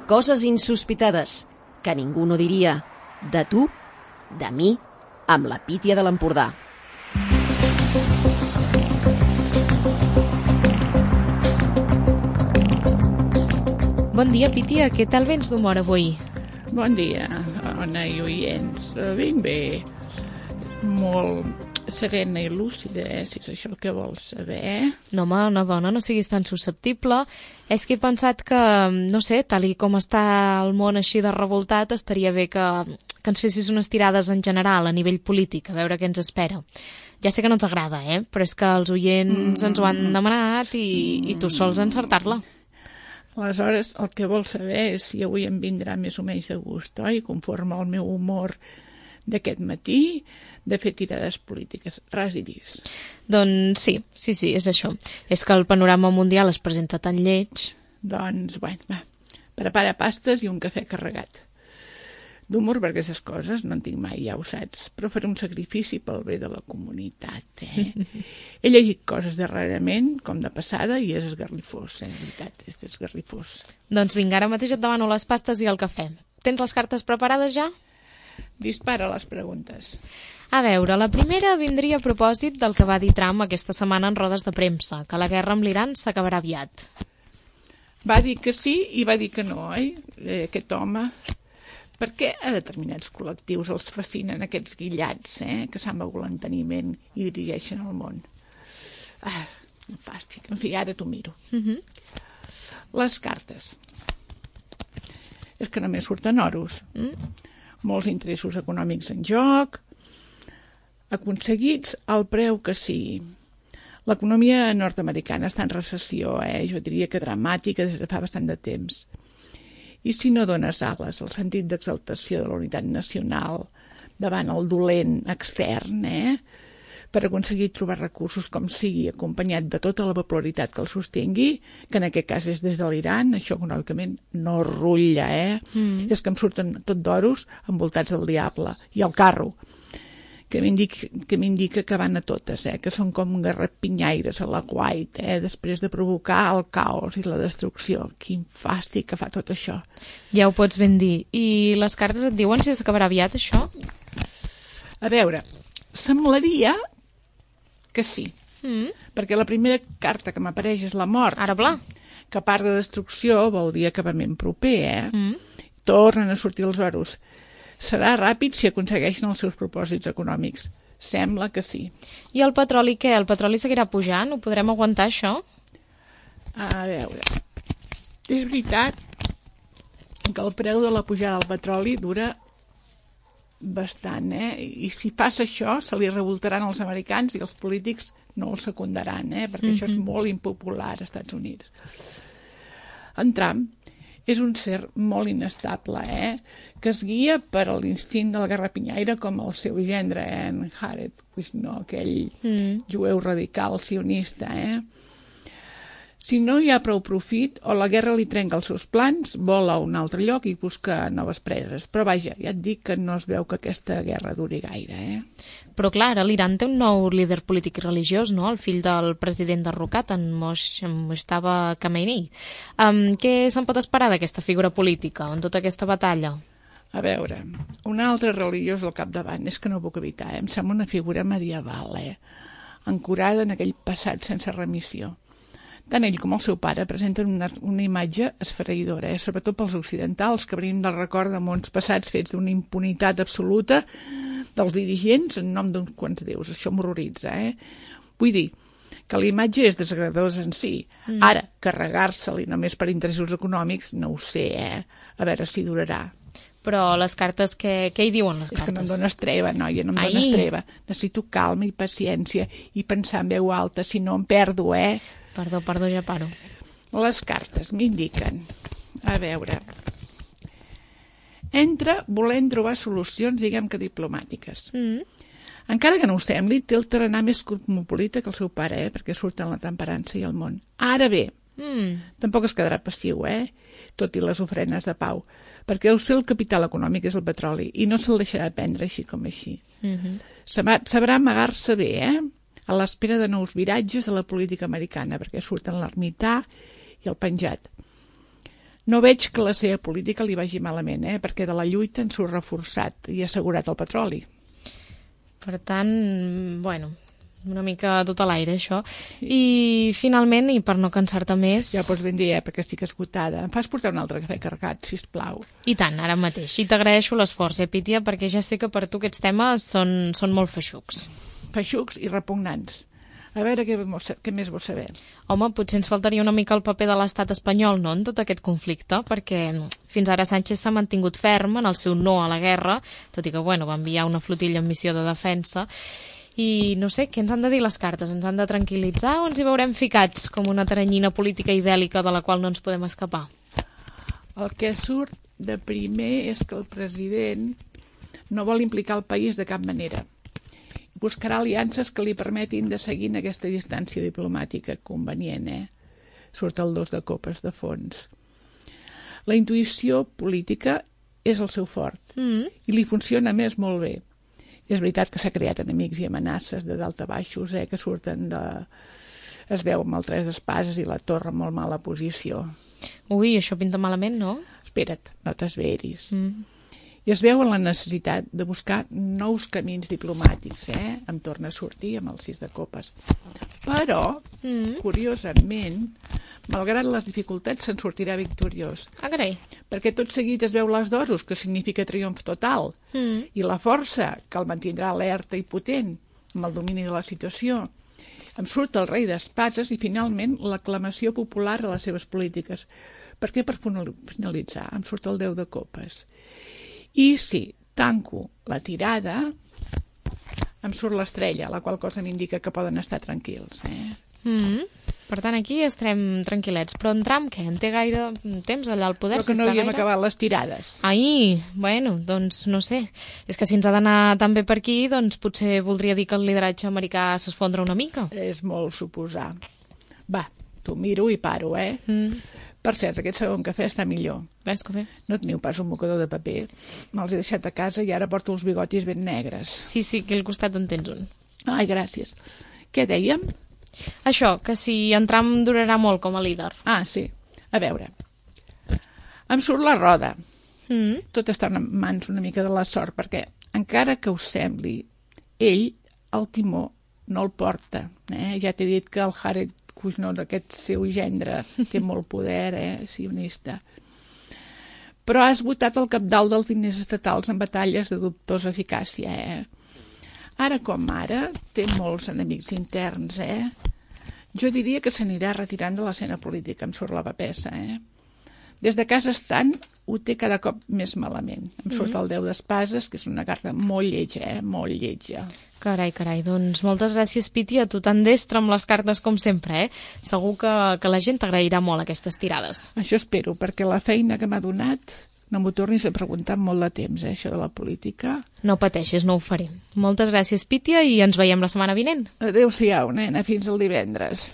Coses insospitades que ningú no diria. De tu, de mi, amb la Pítia de l'Empordà. Bon dia, Pítia. Què tal vens d'humor avui? Bon dia, Ona i oients. Ben bé. Molt serena i lúcida, si és això el que vols saber. No, home, una dona, no siguis tan susceptible. És que he pensat que, no sé, tal i com està el món així de revoltat, estaria bé que ens fessis unes tirades en general, a nivell polític, a veure què ens espera. Ja sé que no t'agrada, però és que els oients ens ho han demanat i tu sols encertar-la. Aleshores, el que vols saber és si avui em vindrà més o menys de gust, oi? Conforme al meu humor d'aquest matí, de fer tirades polítiques. Ras i dis. Doncs sí, és això. És que el panorama mundial es presenta tan lleig. Doncs, bueno, va, prepara pastes i un cafè carregat. D'humor per aquestes coses no en tinc mai, ja ho saps, però faré un sacrifici pel bé de la comunitat, He llegit coses darrerament, com de passada, i és esgarrifós, de veritat, és esgarrifós. Doncs vinga, ara mateix et demano les pastes i el cafè. Tens les cartes preparades ja? Dispara les preguntes. A veure, la primera vindria a propòsit del que va dir Trump aquesta setmana en rodes de premsa, que la guerra amb l'Iran s'acabarà aviat. Va dir que sí i va dir que no, aquest home. Per què a determinats col·lectius els fascinen aquests guillats, que s'han begut l'enteniment i dirigeixen el món? Fàstic. En fi, ara t'ho miro. Les cartes. És que només surten oros. Molts interessos econòmics en joc, aconseguits al preu que sigui. L'economia nord-americana està en recessió, jo diria que dramàtica des de fa bastant de temps. I si no dones ales al sentit d'exaltació de la unitat nacional davant el dolent extern, per aconseguir trobar recursos com sigui, acompanyat de tota la popularitat que el sostingui, que en aquest cas és des de l'Iran, això econòmicament no rutlla, És que em surten tot d'oros envoltats del diable i el carro, que m'indica que van a totes, que són com garrapinyaires a la White, després de provocar el caos i la destrucció. Quin fàstic que fa tot això. Ja ho pots ben dir. I les cartes et diuen si s'acabarà aviat, això? A veure, semblaria que sí, perquè la primera carta que m'apareix és la mort. Ara pla. Que a part de destrucció vol dir acabament proper, Tornen a sortir els oros. Serà ràpid si aconsegueixen els seus propòsits econòmics. Sembla que sí. I el petroli què? El petroli seguirà pujant? Ho podrem aguantar, això? A veure, és veritat que el preu de la pujada del petroli dura bastant, I si passa això, se li revoltaran els americans i els polítics no el secundaran, perquè això és molt impopular als Estats Units. En Trump és un ser molt inestable, que es guia per l'instint del garrapinyaire com el seu gendre, en Jared Kushner, aquell jueu radical sionista, Si no hi ha prou profit, o la guerra li trenca els seus plans, vola a un altre lloc i busca noves preses. Però vaja, ja et dic que no es veu que aquesta guerra duri gaire, Però clar, ara l'Iran té un nou líder polític i religiós, no? El fill del president derrocat, en Mojtaba Khamenei. Què se'n pot esperar d'aquesta figura política en tota aquesta batalla? A veure, un altre religiós al capdavant, és que no ho puc evitar, em sembla una figura medieval, ancorada en aquell passat sense remissió. Tant ell com el seu pare presenten una imatge esfereïdora, sobretot pels occidentals, que venim del record de mons passats fets d'una impunitat absoluta dels dirigents en nom d'uns quants déus. Això m'horroritza, Vull dir que la imatge és desagradadora en si. Ara, carregar-se-li només per interessos econòmics, no ho sé, A veure si durarà. Però les cartes, què hi diuen les cartes? És que no em dones treva, noia, no em dones treva. Necessito calma i paciència i pensar en veu alta, si no em perdo, Perdó, ja paro. Les cartes m'indiquen, a veure, entre volent trobar solucions, diguem que diplomàtiques. Encara que no ho sembli, té el tarannà més cosmopolita que el seu pare, perquè surten la temperança i el món. Ara bé, tampoc es quedarà passiu, tot i les ofrenes de pau, perquè deu ser el capital econòmic és el petroli i no se'l deixarà prendre així com així. Sabrà amagar-se bé, a l'espera de nous viratges de la política americana, perquè surten l'ermità i el penjat. No veig que la seva política li vagi malament, perquè de la lluita en surt reforçat i assegurat el petroli. Per tant, bueno, una mica tot a l'aire, això. I finalment, i per no cansar-te més... Ja pots ben dir, perquè estic esgotada. Em fas portar un altre cafè carregat, sisplau. I tant, ara mateix. I t'agraeixo l'esforç, Pítia, perquè ja sé que per tu aquests temes són molt feixucs. Feixucs i repugnants. A veure què més vols saber. Home, potser ens faltaria una mica el paper de l'estat espanyol, no?, en tot aquest conflicte, perquè fins ara Sánchez s'ha mantingut ferm en el seu no a la guerra, tot i que, bueno, va enviar una flotilla en missió de defensa, i no sé, què ens han de dir les cartes? Ens han de tranquil·litzar o ens hi veurem ficats com una teranyina política i bèl·lica de la qual no ens podem escapar? El que surt de primer és que el president no vol implicar el país de cap manera. Buscarà aliances que li permetin de seguir en aquesta distància diplomàtica convenient, Surt el 2 de copes de fons. La intuïció política és el seu fort i li funciona més molt bé. És veritat que s'ha creat enemics i amenaces de dalt a baixos, que surten de... Es veu amb el 3 d'espases i la torre en molt mala posició. Ui, això pinta malament, no? Espera't, no t'esveris. I es veu en la necessitat de buscar nous camins diplomàtics, Em torna a sortir amb el 6 de copes. Però, curiosament, malgrat les dificultats, se'n sortirà victoriós. Ah, carai. Perquè tot seguit es veu l'as d'oros, que significa triomf total, i la força, que el mantindrà alerta i potent, amb el domini de la situació. Em surt el rei d'espases i, finalment, l'aclamació popular a les seves polítiques. Perquè, per finalitzar, em surt el 10 de copes. I si tanco la tirada, em surt l'estrella, la qual cosa m'indica que poden estar tranquils. Per tant, aquí estarem tranquil·lets. Però en Trump, què? En té gaire temps allà al poder? Però que no havíem acabat les tirades. Ai, bueno, doncs no sé. És que si ens ha d'anar tan bé per aquí, doncs potser voldria dir que el lideratge americà s'esfondra una mica. És molt suposar. Va, t'ho miro i paro, Per cert, aquest segon cafè està millor. Ves que bé. No teniu pas un mocador de paper. Me'ls he deixat a casa i ara porto els bigotis ben negres. Sí, aquí al costat en tens un. Ai, gràcies. Què dèiem? Això, que si en Trump durarà molt com a líder. Ah, sí. A veure. Em surt la roda. Tot està en mans una mica de la sort, perquè encara que us sembli, ell, el timó, no el porta. Ja t'he dit que el Jared Kushner, aquest seu gendre, té molt poder, sionista. Però has votat el capdalt dels diners estatals en batalles de dubtosa eficàcia, Ara com ara, té molts enemics interns, Jo diria que s'anirà retirant de l'escena política, em surt la papessa, Des de casa estant, ho té cada cop més malament. Em surt el 10 d'espases, que és una carta molt lletja, molt lletja. Carai, doncs moltes gràcies, Piti, a tu tan destre amb les cartes com sempre, Segur que la gent t'agrairà molt aquestes tirades. Això espero, perquè la feina que m'ha donat no m'ho tornis a preguntar amb molt de temps, això de la política. No pateixis, no ho faré. Moltes gràcies, Pítia, i ens veiem la setmana vinent. Adéu-siau, nena, fins el divendres.